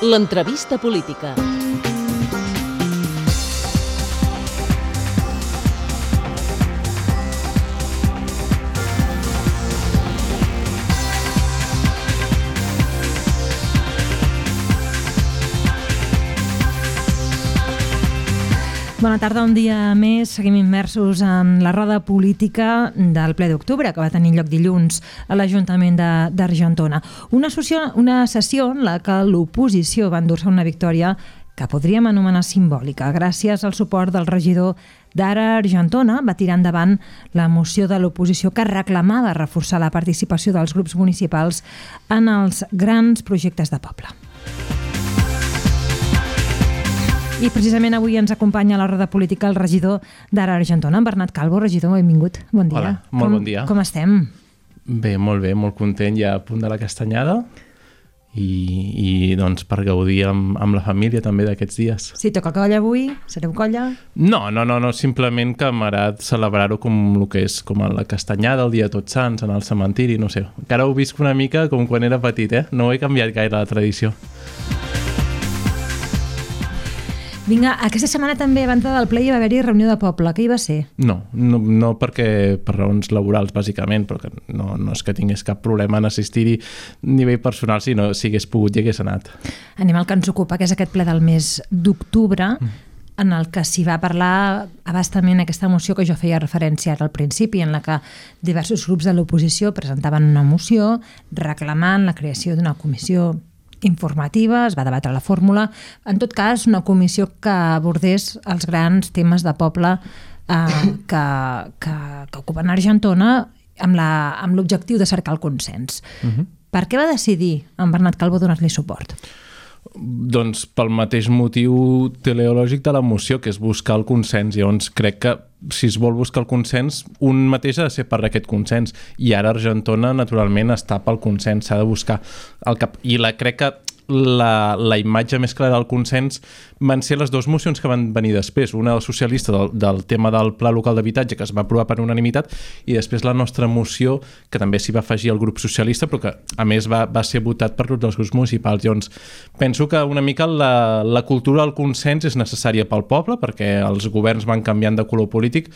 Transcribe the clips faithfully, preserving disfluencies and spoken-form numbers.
L'entrevista política. Bona tarda, un dia més. Seguim immersos en la roda política del ple d'octubre, que va tenir lloc dilluns a l'Ajuntament d'Argentona. Una, una sessió en la que l'oposició va endur-se una victòria que podríem anomenar simbòlica. Gràcies al suport del regidor d'Ara Argentona, va tirar endavant la moció de l'oposició que reclamava reforçar la participació dels grups municipals en els grans projectes de poble. I precisament avui ens acompanya a la roda política el regidor d'Ara Argentona, en Bernat Calvo. Regidor, benvingut. Bon dia. Hola, molt com, bon dia. Com estem? Bé, molt bé, molt content, ja a punt de la castanyada i, i doncs per gaudir amb, amb la família també d'aquests dies. Si toca colla avui, sereu colla? No, no, no, no simplement que m'agrada celebrar-ho com el que és, com a la castanyada, el dia de Tots Sants, en el cementiri, no sé. Encara ho visc una mica com quan era petit, eh? No he canviat gaire la tradició. Vinga, aquesta setmana també, abans del ple, hi va haver-hi reunió de poble. Què hi va ser? No, no, no perquè per raons laborals, bàsicament, però que no, no és que tingués cap problema en assistir-hi a nivell personal, si no si hagués pogut i hagués anat. Anem al que ens ocupa, que és aquest ple del mes d'octubre, mm. en el que s'hi va parlar abastament aquesta moció que jo feia referència ara al principi, en la que diversos grups de l'oposició presentaven una moció reclamant la creació d'una comissió informativa, es va debatre la fórmula, en tot cas una comissió que abordés els grans temes de poble eh, que, que, que ocupen Argentona amb la, amb l'objectiu de cercar el consens. Uh-huh. Per què va decidir en Bernat Calvo donar-li suport? Doncs pel mateix motiu teleològic de la moció, que és buscar el consens. Llavors crec que si es vol buscar el consens, un mateix ha de ser per aquest consens. I ara Argentona, naturalment, està pel consens, s'ha de buscar el cap. I la, crec que la, la imatge més clara del consens van ser les dues mocions que van venir després. Una del socialista del, del tema del pla local d'habitatge, que es va aprovar per unanimitat, i després la nostra moció, que també s'hi va afegir el grup socialista, però que a més va, va ser votat per tots els grups municipals. Llavors, penso que una mica la, la cultura del consens és necessària pel poble, perquè els governs van canviant de color polític,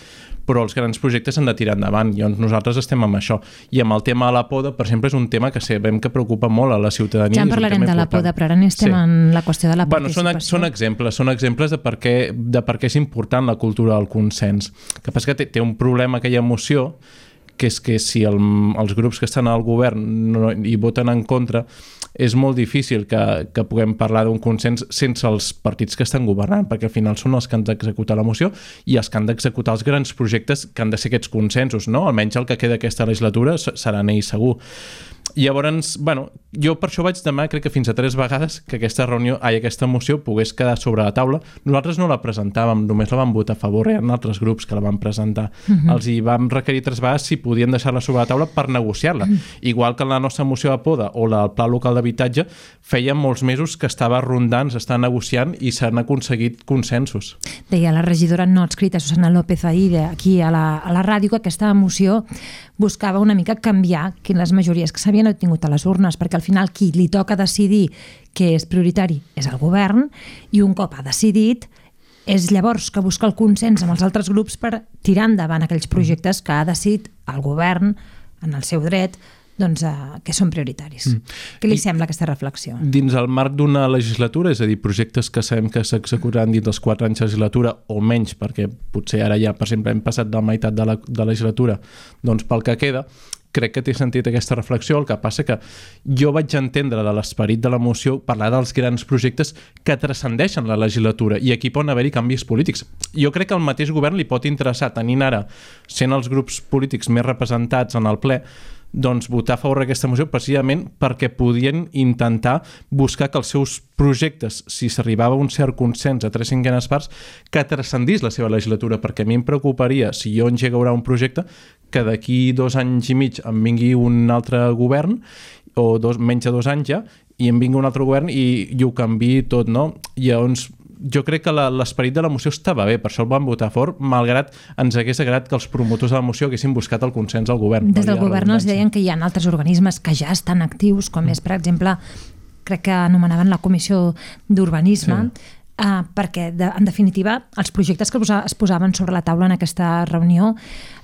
però els grans projectes s'han de tirar endavant. Llavors nosaltres estem amb això. I amb el tema de la poda, per exemple, és un tema que sabem que preocupa molt a la ciutadania. Ja en parlarem de la poda, però ara estem sí. en la qüestió de la participació. Bueno, són, són exemples, són exemples de per què, de per què és important la cultura del consens. El que passa que té, té un problema aquella moció, que és que si el, els grups que estan al govern no, hi voten en contra, és molt difícil que, que puguem parlar d'un consens sense els partits que estan governant, perquè al final són els que han d'executar la moció i els que han d'executar els grans projectes que han de ser aquests consensos, no? Almenys el que queda aquesta legislatura seran ells segur. Llavors, bueno, jo per això vaig demanar, crec que fins a tres vegades, que aquesta reunió, ai, aquesta moció pogués quedar sobre la taula. Nosaltres no la presentàvem, només la vam votar a favor, hi ha altres grups que la van presentar. Uh-huh. Els hi vam requerir tres vegades si podien deixar-la sobre la taula per negociar-la. Uh-huh. Igual que en la nostra moció de poda o la del pla local d'habitatge, feia molts mesos que estava rondant, s'està negociant i s'han aconseguit consensos. Deia la regidora no adscrita, Susana López Aide, aquí a la, a la ràdio, que aquesta moció buscava una mica canviar les majories que s'havien obtingut a les urnes, perquè al final qui li toca decidir què és prioritari és el govern, i un cop ha decidit és llavors que busca el consens amb els altres grups per tirar endavant aquells projectes que ha decidit el govern en el seu dret, doncs, uh, que són prioritaris. Mm. Què li I, sembla aquesta reflexió? Dins el marc d'una legislatura, és a dir, projectes que sabem que s'executaran dins dels quatre anys de legislatura o menys, perquè potser ara ja, per exemple, hem passat de la meitat de la, de la legislatura, doncs pel que queda, crec que té sentit aquesta reflexió. El que passa que jo vaig entendre de l'esperit de la moció parlar dels grans projectes que transcendeixen la legislatura i aquí poden haver-hi canvis polítics. Jo crec que el mateix govern li pot interessar, tenint ara, sent els grups polítics més representats en el ple, doncs votar a favor d'aquesta moció precisament perquè podien intentar buscar que els seus projectes, si s'arribava a un cert consens a tres cinquenes parts, que transcendís la seva legislatura, perquè a mi em preocuparia, si jo engegarà un projecte, que d'aquí dos anys i mig em vingui un altre govern, o dos, menys de dos anys ja, i em vingui un altre govern i, i ho canviï tot, no? I llavors jo crec que l'esperit de la moció estava bé, per això el vam votar a favor, malgrat ens hagués agradat que els promotors de la moció haguessin buscat el consens al govern. Des del govern els deien que hi ha altres organismes que ja estan actius, com és, per exemple, crec que anomenaven la Comissió d'Urbanisme, sí. Uh, perquè, de, en definitiva, els projectes que posa, es posaven sobre la taula en aquesta reunió,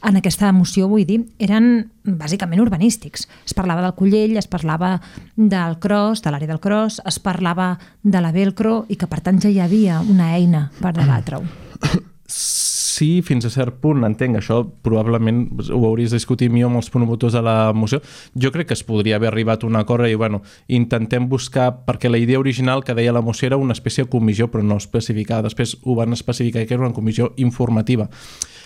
en aquesta moció, vull dir, eren bàsicament urbanístics. Es parlava del Collell, es parlava del Cros, de l'àrea del Cros, es parlava de la Velcro, i que, per tant, ja hi havia una eina per debatre-ho. Sí, fins a cert punt, entenc, això probablement ho hauries de discutir millor amb els promotors de la moció. Jo crec que es podria haver arribat a un acord i, bueno, intentem buscar, perquè la idea original que deia la moció era una espècie de comissió, però no especificada. Després ho van especificar que era una comissió informativa.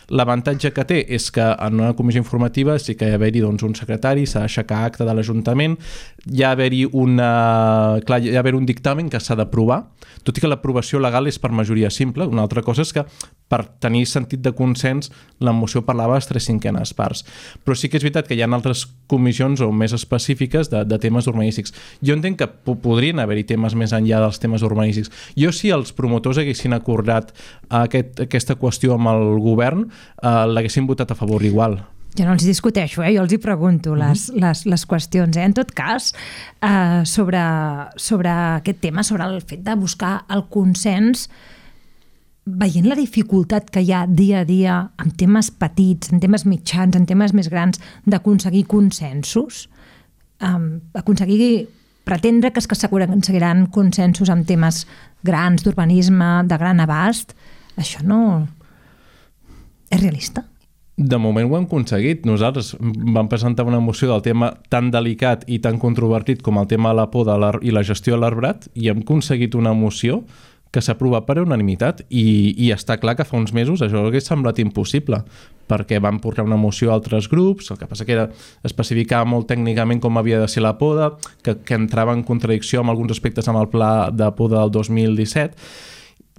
L'avantatge que té és que en una comissió informativa sí que hi ha d'haver-hi doncs, un secretari, s'ha d'aixecar acte de l'Ajuntament, hi ha d'haver-hi una... Clar, hi ha d'haver un dictamen que s'ha d'aprovar, tot i que l'aprovació legal és per majoria simple. Una altra cosa és que per tenir sentit de consens la moció parlava de les tres cinquenes parts. Però sí que és veritat que hi ha altres comissions o més específiques de, de temes urbanístics. Jo entenc que podrien haver-hi temes més enllà dels temes urbanístics. Jo, si els promotors haguessin acordat aquest, aquesta qüestió amb el govern, eh, l'haguessin votat a favor igual. Jo no els discuteixo, eh? Jo els hi pregunto les, mm-hmm. les, les qüestions. Eh? En tot cas, eh, sobre, sobre aquest tema, sobre el fet de buscar el consens, veient la dificultat que hi ha dia a dia en temes petits, en temes mitjans, en temes més grans, d'aconseguir consensos, um, aconseguir pretendre que es que s'aconseguiran consensos en temes grans, d'urbanisme, de gran abast, això no és realista? De moment ho hem aconseguit. Nosaltres vam presentar una moció del tema tan delicat i tan controvertit com el tema de la poda i la gestió de l'arbrat, i hem aconseguit una moció que s'ha aprovat per unanimitat, i, i està clar que fa uns mesos això hauria semblat impossible, perquè van portar una moció a altres grups, el que passa que era especificar molt tècnicament com havia de ser la poda, que, que entrava en contradicció amb alguns aspectes amb el pla de poda del dos mil disset,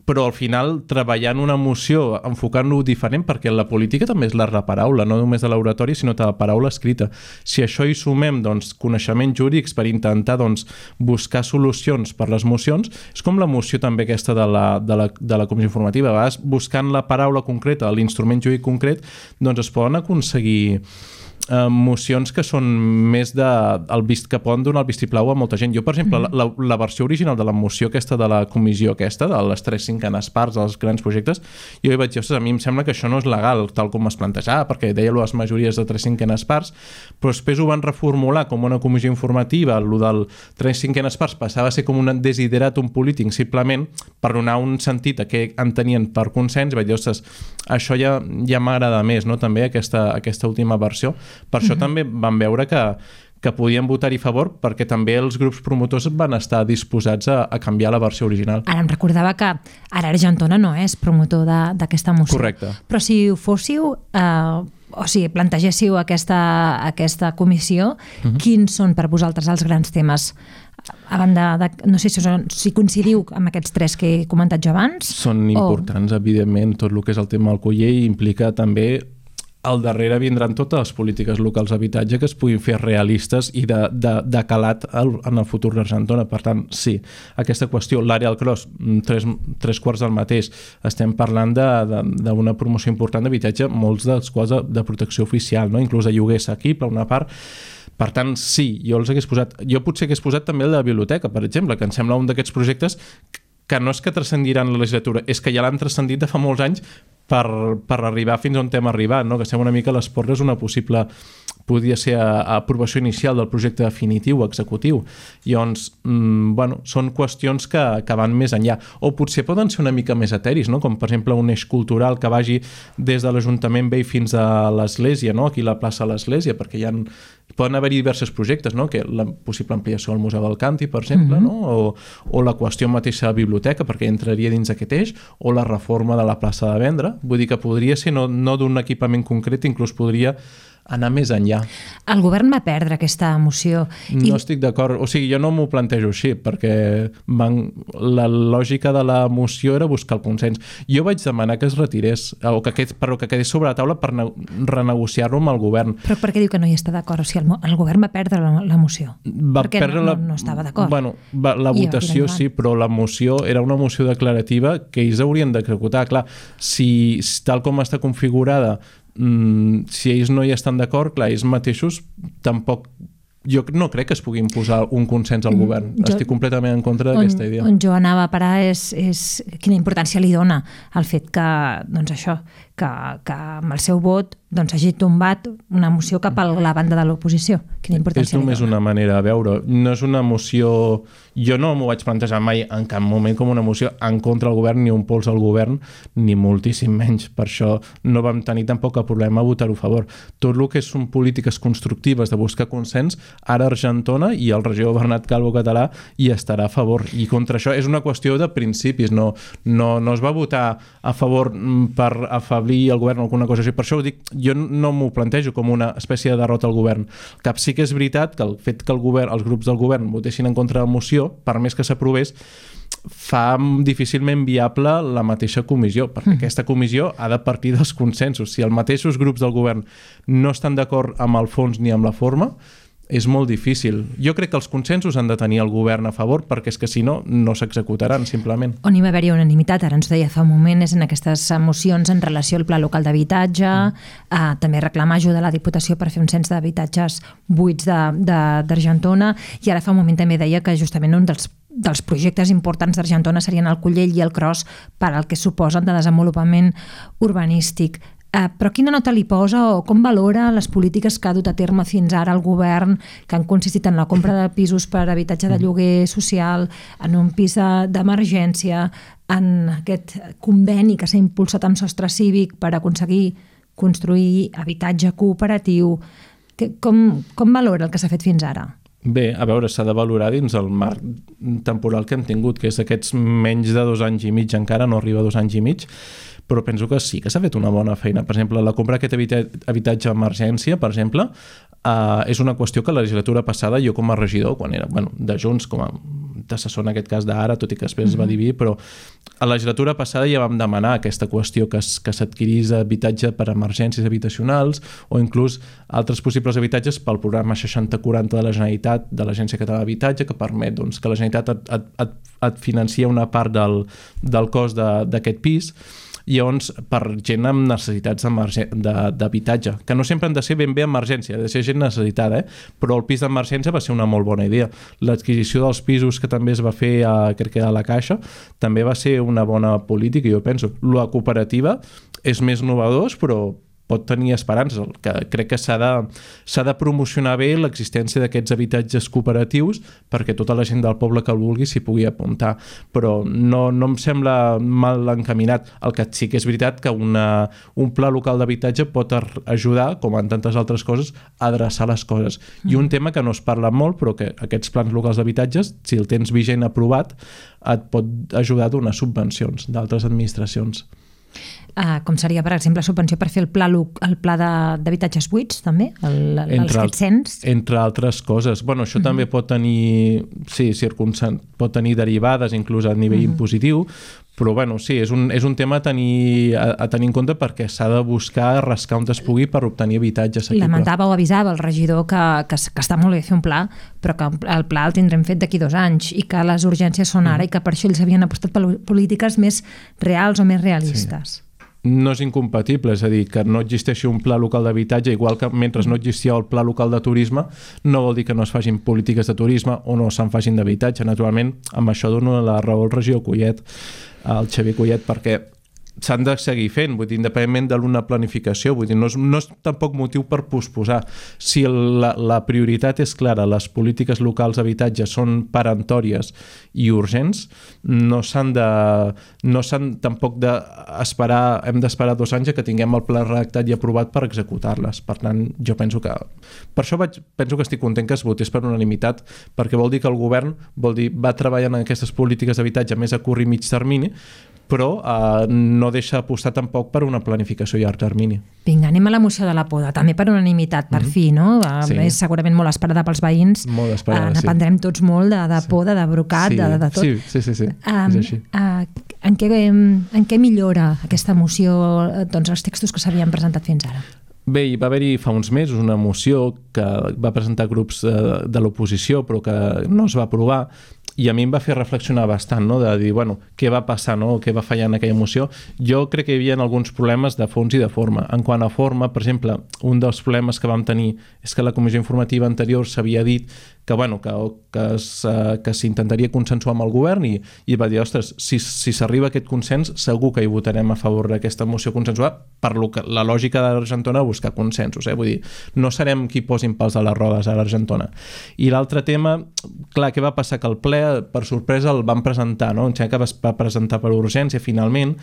però al final treballant una moció, enfocant-lo diferent, perquè la política també és l'art de paraula, no només de l'oratòria, sinó de la paraula escrita. Si això hi sumem doncs, coneixements jurídics per intentar doncs, buscar solucions per les mocions, és com la moció també aquesta de la, de la, de la comissió informativa. A vegades, buscant la paraula concreta, l'instrument jurídic concret, doncs es poden aconseguir eh, mocions que són més de el vist, que poden donar el vistiplau a molta gent. Jo, per exemple, mm. la, la versió original de la moció aquesta de la comissió aquesta, de les tres cinquenes parts dels grans projectes, jo hi vaig dir, ostres, a mi em sembla que això no és legal, tal com es plantejava, perquè deia les majories de tres cinquenes parts, però després ho van reformular com una comissió informativa, el del tres cinquenes parts passava a ser com un desideratum polític, simplement per donar un sentit a què entenien per consens, i vaig dir, ostres, això ja, ja m'agrada més, no?, també aquesta, aquesta última versió. Per això uh-huh. també vam veure que, que podien votar-hi a favor, perquè també els grups promotors van estar disposats a, a canviar la versió original. Ara em recordava que ara Argentona no és promotor d'aquesta moció. Correcte. Però si ho fóssiu, eh, o sigui, plantegéssiu aquesta, aquesta comissió, uh-huh. quins són per vosaltres els grans temes? A banda de, no sé si, són, si coincidiu amb aquests tres que he comentat jo abans. Són importants, o... evidentment, tot el que és el tema del Collell implica també. Al darrere vindran totes les polítiques locals d'habitatge que es puguin fer realistes i de, de, de calat en el futur d'Argentona. Per tant, sí, aquesta qüestió, l'àrea del Cros, tres, tres quarts del mateix, estem parlant d'una promoció important d'habitatge, molts dels quals de, de protecció oficial, no? Inclús de lloguer assequible, una part. Per tant, sí, jo els hagués posat. Jo potser hagués posat també el de la biblioteca, per exemple, que em sembla un d'aquests projectes que no és que transcendiran la legislatura, és que ja l'han transcendit de fa molts anys per, per arribar fins on hem arribat, no? Que sembla una mica les portes una possible, podria ser a, a aprovació inicial del projecte definitiu, executiu. Llavors, mmm, bueno, són qüestions que, que van més enllà. O potser poden ser una mica més eteris, no? Com per exemple un eix cultural que vagi des de l'Ajuntament Vell fins a l'Església, no? Aquí a la plaça de l'Església, perquè hi ha, poden haver-hi diversos projectes, no? Que la possible ampliació del Museu del Càntir, per exemple, mm-hmm. no? O, o la qüestió mateixa de la biblioteca, perquè entraria dins aquest eix, o la reforma de la plaça de Vendre. Vull dir que podria ser no, no d'un equipament concret, inclús podria anar més enllà. El govern va perdre aquesta moció. No i... estic d'acord, o sigui, jo no m'ho plantejo així, perquè van... la lògica de la moció era buscar el consens. Jo vaig demanar que es retirés, o que quedés, però que quedés sobre la taula per ne... renegociar-lo amb el govern. Però per què diu que no hi està d'acord? O sigui, el, el govern va perdre la, la moció. Va perquè perdre no, la... no, no estava d'acord. Bueno, va, la I votació sí, però la moció era una moció declarativa que ells haurien d'executar. Clar, si tal com està configurada, Mm, si ells no hi estan d'acord, clar, ells mateixos tampoc jo no crec que es pugui imposar un consens al govern. Jo, Estic completament en contra d'aquesta idea. On jo anava a parar és, és quina importància li dona al fet que, doncs això, que, que amb el seu vot doncs, hagi tombat una moció cap a la banda de l'oposició. Quina importància és només li dona. Una manera de veure. No és una moció... Jo no m'ho vaig plantejar mai en cap moment com una moció en contra del govern, ni un pols al govern, ni moltíssim menys. Per això no vam tenir tampoc el problema a votar-ho a favor. Tot el que són polítiques constructives de buscar consens, ara Argentona i el regidor Bernat Calvo català hi estarà a favor. I contra això és una qüestió de principis. No, no, no es va votar a favor per afeblir el govern o alguna cosa així. Per això ho dic, jo no m'ho plantejo com una espècie de derrota al govern. Cap sí que és veritat que el fet que el govern, els grups del govern votessin en contra de la moció, per més que s'aprovés, fa difícilment viable la mateixa comissió, perquè mm. aquesta comissió ha de partir dels consensos. Si els mateixos grups del govern no estan d'acord amb el fons ni amb la forma, és molt difícil. Jo crec que els consensos han de tenir el govern a favor, perquè és que si no, no s'executaran, simplement. On hi va haver-hi unanimitat, ara ens deia fa un moment, és en aquestes mocions en relació al Pla Local d'Habitatge, mm. eh, també reclamar ajuda a la Diputació per fer un cens d'habitatges buits d'Argentona, i ara fa un moment també deia que justament un dels dels projectes importants d'Argentona serien el Collell i el Cros per al que suposen de desenvolupament urbanístic. Uh, però quina nota li posa o com valora les polítiques que ha dut a terme fins ara el govern, que han consistit en la compra de pisos per habitatge de lloguer social, en un pis d'emergència, en aquest conveni que s'ha impulsat amb Sostre Cívic per aconseguir construir habitatge cooperatiu? Que, com, com valora el que s'ha fet fins ara? Bé, a veure, s'ha de valorar dins el marc temporal que hem tingut, que és aquests menys de dos anys i mig, encara no arriba a dos anys i mig, però penso que sí que s'ha fet una bona feina. Per exemple, la compra d'aquest habitatge d'emergència, per exemple, eh, és una qüestió que la legislatura passada, jo com a regidor, quan era bueno, de Junts, com a d'assessor en aquest cas d'Ara, tot i que després es va dividir, però a la legislatura passada ja vam demanar aquesta qüestió que, que s'adquirís habitatge per emergències habitacionals o inclús altres possibles habitatges pel programa seixanta quaranta de la Generalitat, de l'Agència Catalana d'Habitatge, que permet doncs, que la Generalitat et, et, et, et financia una part del, del cost d'aquest pis. Llavors, per gent amb necessitats d'habitatge, que no sempre han de ser ben bé emergència, ha de ser gent necessitada, eh? Però el pis d'emergència va ser una molt bona idea. L'adquisició dels pisos que també es va fer a, crec que a la Caixa també va ser una bona política, jo penso. La cooperativa és més novedós, però pot tenir esperances. Que crec que s'ha de, s'ha de promocionar bé l'existència d'aquests habitatges cooperatius perquè tota la gent del poble que el vulgui s'hi pugui apuntar. Però no, no em sembla mal encaminat. El que sí que és veritat que una, un pla local d'habitatge pot ajudar, com en tantes altres coses, a adreçar les coses. Mm. I un tema que no es parla molt, però que aquests plans locals d'habitatges, si el tens vigent aprovat, et pot ajudar a donar subvencions d'altres administracions. Uh, com seria, per exemple, subvenció per fer el pla, el pla d'habitatges buits, també? El, el, entre, els cens? Entre altres coses. Bueno, això uh-huh. també pot tenir, sí, circunsan, pot tenir derivades, inclús a nivell uh-huh. impositiu, però bueno, sí, és un, és un tema a tenir, a, a tenir en compte perquè s'ha de buscar rascar on es pugui per obtenir habitatge assequible. Lamentava o avisava el regidor que, que, que està molt bé fer un pla, però que el pla el tindrem fet d'aquí dos anys i que les urgències són ara mm. i que per això ells havien apostat per polítiques més reals o més realistes. Sí. No és incompatible, és a dir, que no existeixi un pla local d'habitatge, igual que mentre no existia el pla local de turisme, no vol dir que no es facin polítiques de turisme o no se'n facin d'habitatge. Naturalment, amb això dono la raó al regidor Collet, al Xavier Collet, perquè s'han de seguir fent, vull dir, independentment de l'una planificació, vull dir, no és, no és tampoc motiu per posposar. Si la, la prioritat és clara, les polítiques locals d'habitatge són peremptòries i urgents, no s'han de, no s'han tampoc d'esperar, hem d'esperar dos anys que tinguem el pla redactat i aprovat per executar-les. Per tant, jo penso que, per això vaig, penso que estic content que es votés per unanimitat, perquè vol dir que el govern vol dir, va treballant en aquestes polítiques d'habitatge més a curt i mig termini, però eh, no deixa apostar tampoc per una planificació a llarg termini. Vinga, anem a la moció de la poda, també per unanimitat, per mm-hmm. fi, no? Sí. És segurament molt esperada pels veïns. Molt esperada, eh, n'aprendrem sí. tots molt de, de sí. poda, de brocat, sí. de, de tot. Sí, sí, sí, sí. Um, és així. Uh, en, què, en què millora aquesta moció doncs, els textos que s'havien presentat fins ara? Bé, hi va haver-hi fa uns mesos una moció que va presentar grups de, de l'oposició però que no es va aprovar i a mi em va fer reflexionar bastant, no? De dir, bueno, què va passar, no? Què va fallar en aquella moció. Jo crec que hi havia alguns problemes de fons i de forma. En quant a forma, per exemple, un dels problemes que vam tenir és que la comissió informativa anterior s'havia dit que, bueno, que, que, que s'intentaria consensuar amb el govern i, i va dir, ostres, si, si s'arriba a aquest consens segur que hi votarem a favor d'aquesta moció consensuada per lo que, la lògica de l'Argentona buscar consensos, eh? Vull dir, no serem qui posin pals a les rodes a l'Argentona. I l'altre tema, clar, què va passar? Que el ple, per sorpresa, el van presentar, no? Em sembla que es va presentar per urgència finalment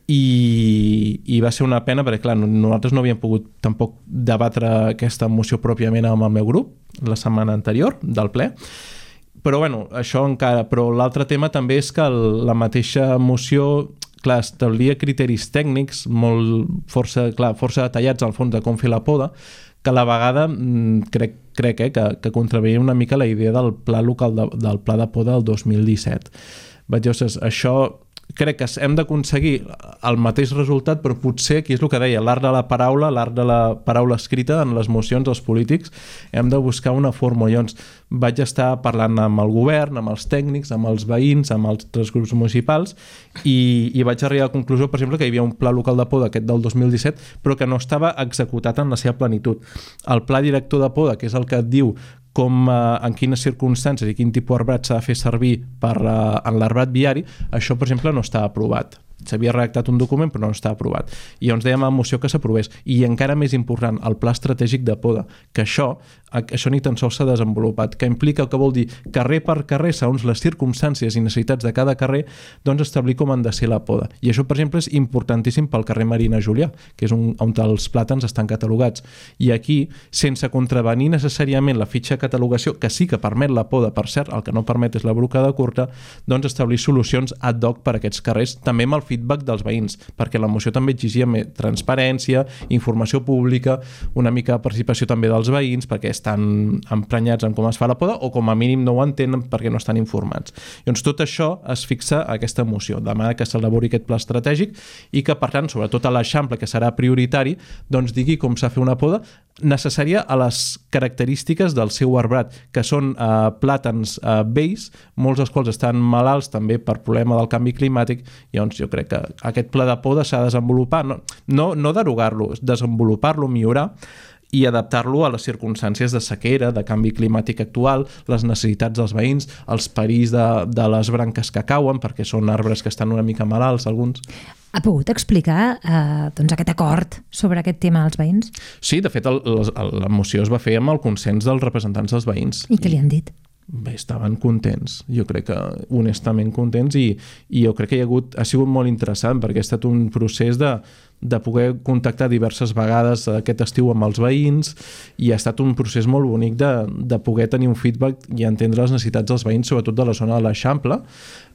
i, i va ser una pena perquè, clar, nosaltres no havíem pogut tampoc debatre aquesta moció pròpiament amb el meu grup la setmana anterior del ple, però bueno, això encara, però l'altre tema també és que el, la mateixa moció, clar, establia criteris tècnics molt força, clar, força detallats al fons de com fer la poda, que a la vegada crec, crec eh, que, que contraveia una mica la idea del pla local de, del pla de poda del dos mil disset. Vaig dir, ostres, això crec que hem d'aconseguir el mateix resultat, però potser, aquí és el que deia, l'art de la paraula, l'art de la paraula escrita en les mocions dels polítics, hem de buscar una fórmula. Llavors vaig estar parlant amb el govern, amb els tècnics, amb els veïns, amb els altres grups municipals i, i vaig arribar a la conclusió, per exemple, que hi havia un pla local de poda, aquest del dos mil disset, però que no estava executat en la seva plenitud. El pla director de poda, que és el que et diu com, eh, en quines circumstàncies i quin tipus d'arbrat s'ha de fer servir per, eh, en l'arbrat viari, això, per exemple, no està aprovat. S'havia redactat un document però no està aprovat. I llavors dèiem a la moció que s'aprovés. I encara més important, el pla estratègic de poda, que això, això ni tan sols s'ha desenvolupat, que implica, que vol dir carrer per carrer, segons les circumstàncies i necessitats de cada carrer, doncs establir com han de ser la poda. I això, per exemple, és importantíssim pel carrer Marina Julià, que és un, on els plàtans estan catalogats. I aquí, sense contravenir necessàriament la fitxa de catalogació, que sí que permet la poda, per cert, el que no permet és la brocada curta, doncs establir solucions ad hoc per a aquests carrers, també amb el feedback dels veïns, perquè la moció també exigia més transparència, informació pública, una mica de participació també dels veïns, perquè estan emprenyats en com es fa la poda o com a mínim no ho entenen perquè no estan informats. Llavors tot això es fixa a aquesta moció, demana que s'elabori aquest pla estratègic i que, per tant, sobretot a l'Eixample, que serà prioritari, doncs digui com s'ha de fer una poda necessària a les característiques del seu arbrat, que són eh, plàtans eh, vells, molts dels quals estan malalts també per problema del canvi climàtic. Llavors jo crec que aquest pla de poda s'ha de desenvolupar, no, no, no derogar-lo, desenvolupar-lo, millorar i adaptar-lo a les circumstàncies de sequera, de canvi climàtic actual, les necessitats dels veïns, els perills de, de les branques que cauen, perquè són arbres que estan una mica malalts, alguns. Ha pogut explicar eh, doncs aquest acord sobre aquest tema als veïns? Sí, de fet, el, el, la moció es va fer amb el consens dels representants dels veïns. I què li han dit? Bé, estaven contents, jo crec que honestament contents i, i jo crec que hi ha, hagut, ha sigut molt interessant perquè ha estat un procés de, de poder contactar diverses vegades aquest estiu amb els veïns i ha estat un procés molt bonic de, de poder tenir un feedback i entendre les necessitats dels veïns, sobretot de la zona de l'Eixample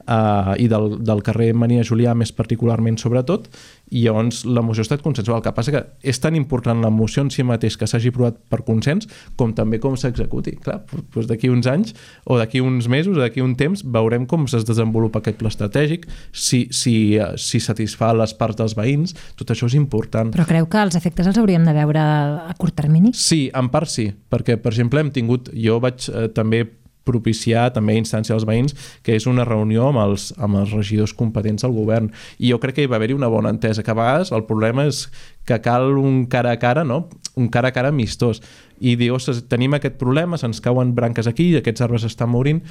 uh, i del, del carrer Marina Julià més particularment sobretot, i llavors la moció ha estat consensual. El que passa que és tan important la moció en si mateix que s'hagi aprovat per consens com també com s'executi. Clar, doncs d'aquí uns anys o d'aquí uns mesos o d'aquí un temps veurem com es desenvolupa aquest pla estratègic, si, si, si satisfà les parts dels veïns, tot això és important. Però creu que els efectes els hauríem de veure a curt termini? Sí, en part sí, perquè per exemple hem tingut, jo vaig eh, també propiciar també a instància dels veïns, que és una reunió amb els, amb els regidors competents del govern. I jo crec que hi va haver-hi una bona entesa, que a vegades el problema és que cal un cara a cara, no? Un cara a cara amistós. I dir, ostres, tenim aquest problema, se'ns cauen branques aquí, aquests arbres estan morint.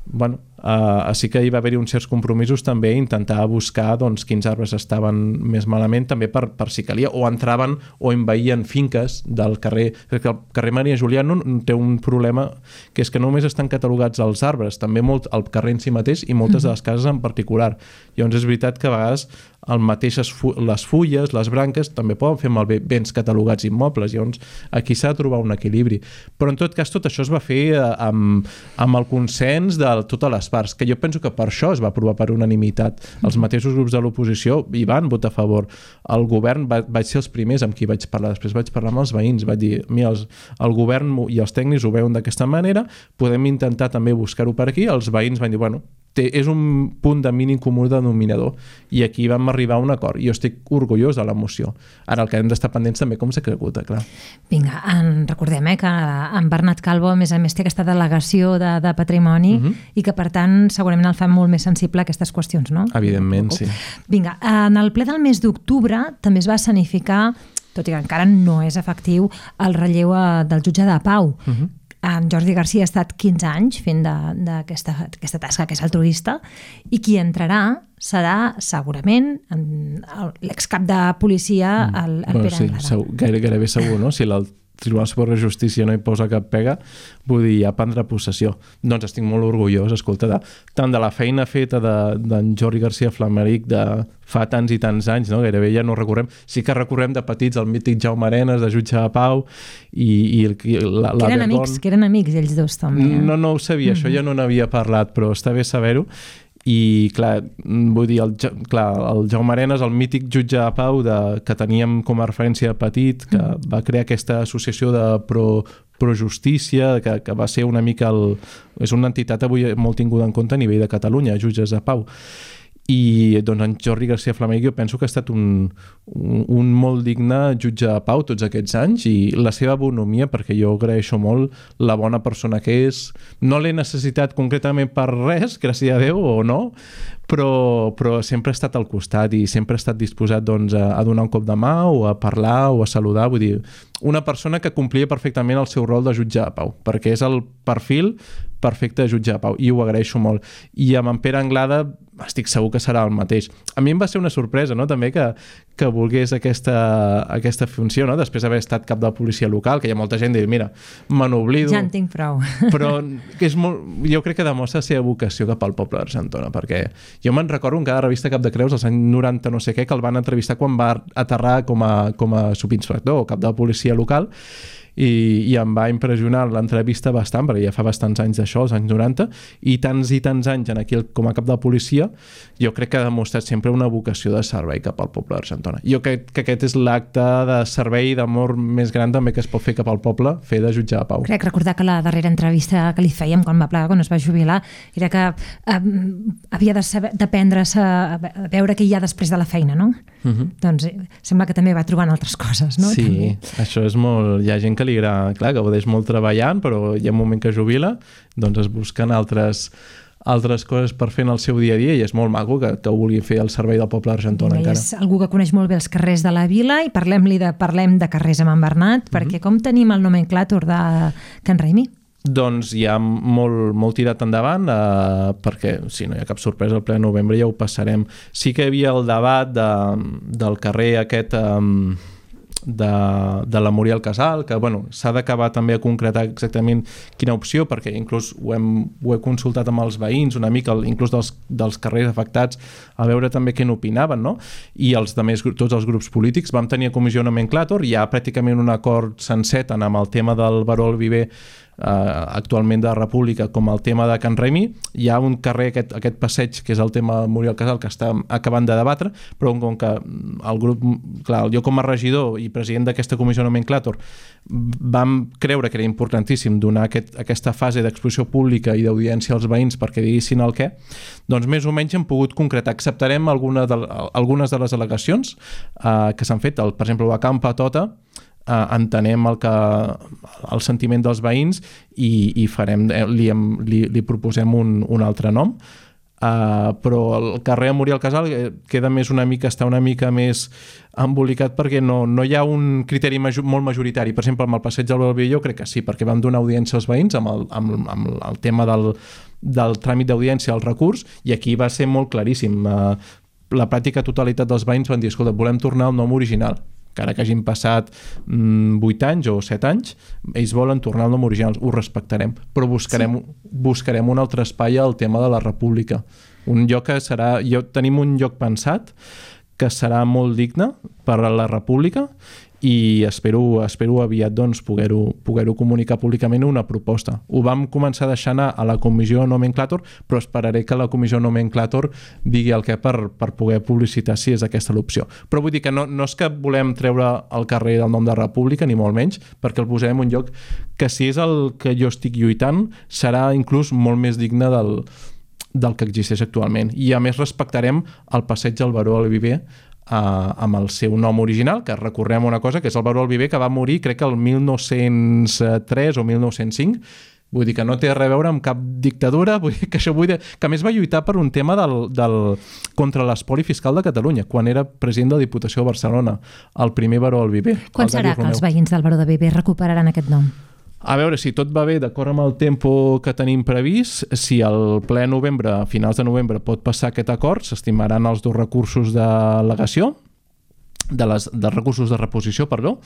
Bueno, uh, així que hi va haver-hi uns certs compromisos també a intentar buscar doncs, quins arbres estaven més malament també per, per si calia, o entraven o envaïen finques del carrer, perquè el carrer Maria Julià no té un problema que és que només estan catalogats els arbres, també molt el carrer en si mateix i moltes de les cases en particular. Llavors és veritat que a vegades el mateix les fulles, les branques també poden fer malbé béns catalogats immobles, llavors aquí s'ha de trobar un equilibri, però en tot cas tot això es va fer amb, amb el consens de totes les parts, que jo penso que per això es va aprovar per unanimitat. Els mateixos grups de l'oposició hi van votar a favor. El govern va, vaig ser els primers amb qui vaig parlar, després vaig parlar amb els veïns, vaig dir, mira, els, el govern i els tècnics ho veuen d'aquesta manera, podem intentar també buscar-ho per aquí. Els veïns van dir, bueno, té, és un punt de mínim comú denominador i aquí vam arribar a un acord. Jo estic orgullós de la moció. Ara el que hem d'estar pendents també com s'executa, clar. Vinga, en, recordem eh, que en Bernat Calvo a més a més té aquesta delegació de, de patrimoni uh-huh. i que per tant segurament el fa molt més sensible a aquestes qüestions, no? Evidentment, sí. Vinga, en el ple del mes d'octubre també es va escenificar, tot i que encara no és efectiu, el relleu del jutge de pau. Uh-huh. En Jordi Garcia ha estat quinze anys fent d'aquesta aquesta tasca que és altruista i qui entrarà serà segurament l'excap de policia, el, el bueno, Pere sí, Anglada. Segur, gaire, gairebé segur, no? Si el Tribunal Superior de Justícia no hi posa cap pega, vull dir, ja prendrà possessió. Doncs estic molt orgullós, escolta, de, tant de la feina feta d'en de, Jordi Garcia Flameric de fa tants i tants anys, no? Gairebé ja no recorrem. Sí que recorrem de petits el mític Jaume Arenas, de jutge de pau, i, i, i la, la que eren Bergon... amics, que eren amics ells dos també. Eh? No, no ho sabia, mm-hmm. això ja no n'havia parlat, però està bé saber-ho. I clar, vull dir, el, clar, el Jaume Arenas, el mític jutge de pau de, que teníem com a referència de petit, que mm. va crear aquesta associació de pro, pro justícia, que, que va ser una mica el, és una entitat avui molt tinguda en compte a nivell de Catalunya, jutges de pau. I doncs en Jordi Garcia Flameric jo penso que ha estat un, un, un molt digne jutge de pau tots aquests anys i la seva bonomia, perquè jo agraeixo molt la bona persona que és. No l'he necessitat concretament per res, gràcies a Déu o no, però, però sempre ha estat al costat i sempre ha estat disposat doncs, a, a donar un cop de mà o a parlar o a saludar. Vull dir, una persona que complia perfectament el seu rol de jutge de pau, perquè és el perfil perfecte de jutge de pau i ho agraeixo molt. I amb en Pere Anglada estic segur que serà el mateix. A mi em va ser una sorpresa, no?, també que, que volgués aquesta, aquesta funció, no?, després d'haver estat cap de la policia local, que hi ha molta gent que diu, mira, me n'oblido. Ja en tinc prou. Però que és molt, jo crec que demostra la seva vocació cap al poble d'Argentona, perquè jo me'n recordo en cada revista Cap de Creus, als anys noranta no sé què, que el van entrevistar quan va aterrar com a, com a subinspector o cap de la policia local, i, i em va impressionar l'entrevista bastant, perquè ja fa bastants anys d'això, als anys noranta, i tants i tants anys en aquí com a cap de la policia, jo crec que ha demostrat sempre una vocació de servei cap al poble d'Argentona. Jo crec que aquest és l'acte de servei i d'amor més gran també que es pot fer cap al poble, fer de jutge de pau. Crec recordar que la darrera entrevista que li fèiem quan va plegar, quan es va jubilar, era que eh, havia de saber, d'aprendre-se a veure què hi ha després de la feina, no? Uh-huh. Doncs eh, sembla que també va trobant altres coses, no? Sí, també. Això és molt... Hi ha gent que li agrada, clar, que gaudeix molt treballant, però hi ha un moment que jubila, doncs es busquen altres, altres coses per fer en el seu dia a dia i és molt maco que, que vulgui fer el servei del poble d'Argentona encara. És algú que coneix molt bé els carrers de la vila i parlem-li de, parlem de carrers amb en Bernat, mm-hmm. perquè com tenim el nomenclàtor de Can Raimí? Doncs ja molt, molt tirat endavant, eh, perquè si no hi ha cap sorpresa, el ple de novembre ja ho passarem. Sí que hi havia el debat de, del carrer aquest... Eh, de, de la Muriel Casal, que bueno, s'ha d'acabar també a concretar exactament quina opció, perquè inclús ho, hem, ho he consultat amb els veïns una mica, inclús dels, dels carrers afectats, a veure també què n'opinaven, no? I els demés, tots els grups polítics vam tenir a comissió nomenclàtor, hi ha pràcticament un acord sencer tant amb el tema del Baró el Viver Uh, actualment de la República com el tema de Can Raimí. Hi ha un carrer, aquest, aquest passeig que és el tema Muriel Casal, que està acabant de debatre, però com que el grup, clar, jo com a regidor i president d'aquesta comissió nomenclàtor vam creure que era importantíssim donar aquest, aquesta fase d'exposició pública i d'audiència als veïns perquè diguessin el què, doncs més o menys hem pogut concretar. Acceptarem alguna de, algunes de les al·legacions uh, que s'han fet, el, per exemple, a Camp Patota. Uh, entenem el, que, el sentiment dels veïns i, i farem, li, li, li proposem un, un altre nom, uh, però el carrer Muriel Casal queda més una mica, està una mica més embolicat perquè no, no hi ha un criteri major, molt majoritari. Per exemple, amb el passeig del Balbió jo crec que sí, perquè vam donar audiència als veïns amb el, amb, amb el tema del, del tràmit d'audiència al recurs, i aquí va ser molt claríssim. Uh, la pràctica totalitat dels veïns van dir, escolta, volem tornar al nom original, encara que hagin passat mm, vuit anys o set anys, ells volen tornar al nom original, ho respectarem, però buscarem, sí. buscarem un altre espai al tema de la República. Un lloc que serà... Jo, tenim un lloc pensat que serà molt digne per a la República i espero, espero aviat doncs, poder-ho poder-ho comunicar públicament una proposta. Ho vam començar a deixar anar a la comissió nomenclàtor, però esperaré que la comissió nomenclàtor digui el què per, per poder publicitar si és aquesta l'opció. Però vull dir que no, no és que volem treure el carrer del nom de República, ni molt menys, perquè el posarem en un lloc que si és el que jo estic lluitant serà inclús molt més digne del, del que existeix actualment. I a més respectarem el passeig del baró del Viver Uh, amb el seu nom original, que recordem una cosa, que és el baró del Viver, que va morir crec que el mil nou-cents tres o mil nou-cents cinc, vull dir que no té res a veure amb cap dictadura, vull dir que això vull dir, que a més va lluitar per un tema del, del, contra l'espoli fiscal de Catalunya, quan era president de la Diputació de Barcelona, el primer baró del Viver. Quan serà que els veïns del baró del Viver recuperaran aquest nom? A veure, si tot va bé d'acord amb el tempo que tenim previst, si al ple novembre, a finals de novembre, pot passar aquest acord, s'estimaran els dos recursos d'al·legació, de les, dels recursos de reposició, perdó,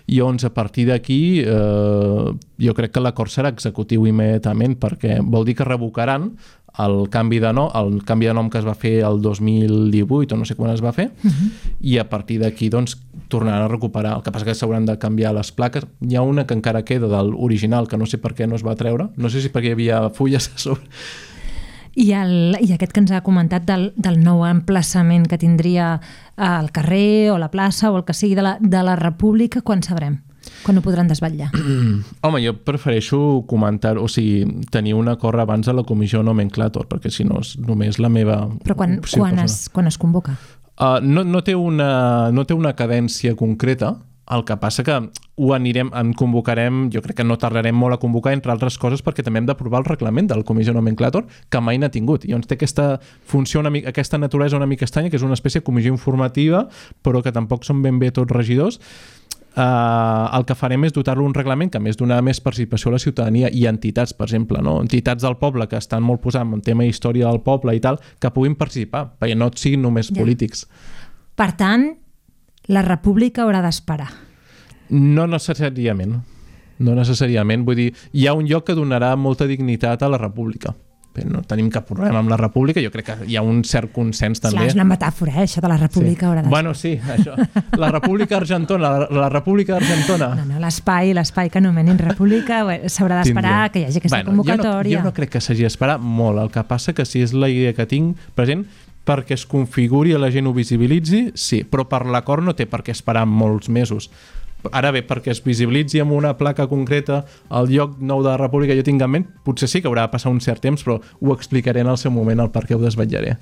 i llavors a partir d'aquí eh, jo crec que l'acord serà executiu immediatament, perquè vol dir que revocaran el canvi de nom, el canvi de nom que es va fer el dos mil divuit o no sé quan es va fer, uh-huh. i a partir d'aquí doncs tornaran a recuperar. El que passa que s'hauran de canviar les plaques. Hi ha una que encara queda de l'original, que no sé per què no es va treure, no sé si perquè hi havia fulles a sobre. I, el, i aquest que ens ha comentat del, del nou emplaçament que tindria al carrer o la plaça o el que sigui de la, de la República, quan sabrem? Quan ho podran desvetllar? Home, jo prefereixo comentar, o sigui, tenir un acord abans de la comissió nomenclàtor, perquè si no és només la meva... Però quan, quan, es, quan es convoca? Uh, no, no, té una, no té una cadència concreta, el que passa que ho anirem, en convocarem, jo crec que no tardarem molt a convocar, entre altres coses, perquè també hem d'aprovar el reglament de la comissió nomenclàtor, que mai n'ha tingut. I llavors té aquesta funció, una mica, aquesta naturalesa una mica estranya, que és una espècie de comissió informativa, però que tampoc són ben bé tots regidors. Uh, el que farem és dotar-lo un reglament que a més donar més participació a la ciutadania i entitats, per exemple, no? Entitats del poble que estan molt posant en tema història del poble i tal, que puguin participar, perquè no siguin només ja. polítics. Per tant, la República haurà d'esperar? No necessàriament. No necessàriament. Vull dir, hi ha un lloc que donarà molta dignitat a la República. Però no tenim cap problema amb la República. Jo crec que hi ha un cert consens també. Clar, és una metàfora, eh? Això de la República sí. haurà d'esperar. Bueno, sí, això. La República Argentona, la, la República Argentona. No, no, l'espai, l'espai que anomenin República s'haurà d'esperar que hi hagi aquesta bueno, convocatòria. Jo no, jo no crec que s'hagi d'esperar molt. El que passa que si és la idea que tinc present, perquè es configuri i la gent ho visibilitzi, sí, però per l'acord no té per què esperar molts mesos. Ara bé, perquè es visibilitzi amb una placa concreta el lloc nou de la República jo tinc en ment, potser sí que haurà de passar un cert temps, però ho explicaré en el seu moment, el per què ho desvetllaré.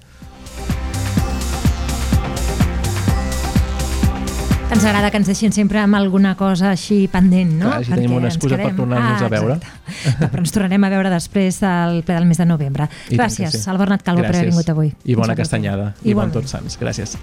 Ens agrada que ens deixin sempre amb alguna cosa així pendent, no? Clar, així tenim una excusa per tornar-nos ah, a veure. Però ens tornarem a veure després del ple del mes de novembre. I Gràcies, sí. al Bernat Calvo, Gràcies. per haver vingut avui. I bona castanyada. I bon Tots Sants. Gràcies.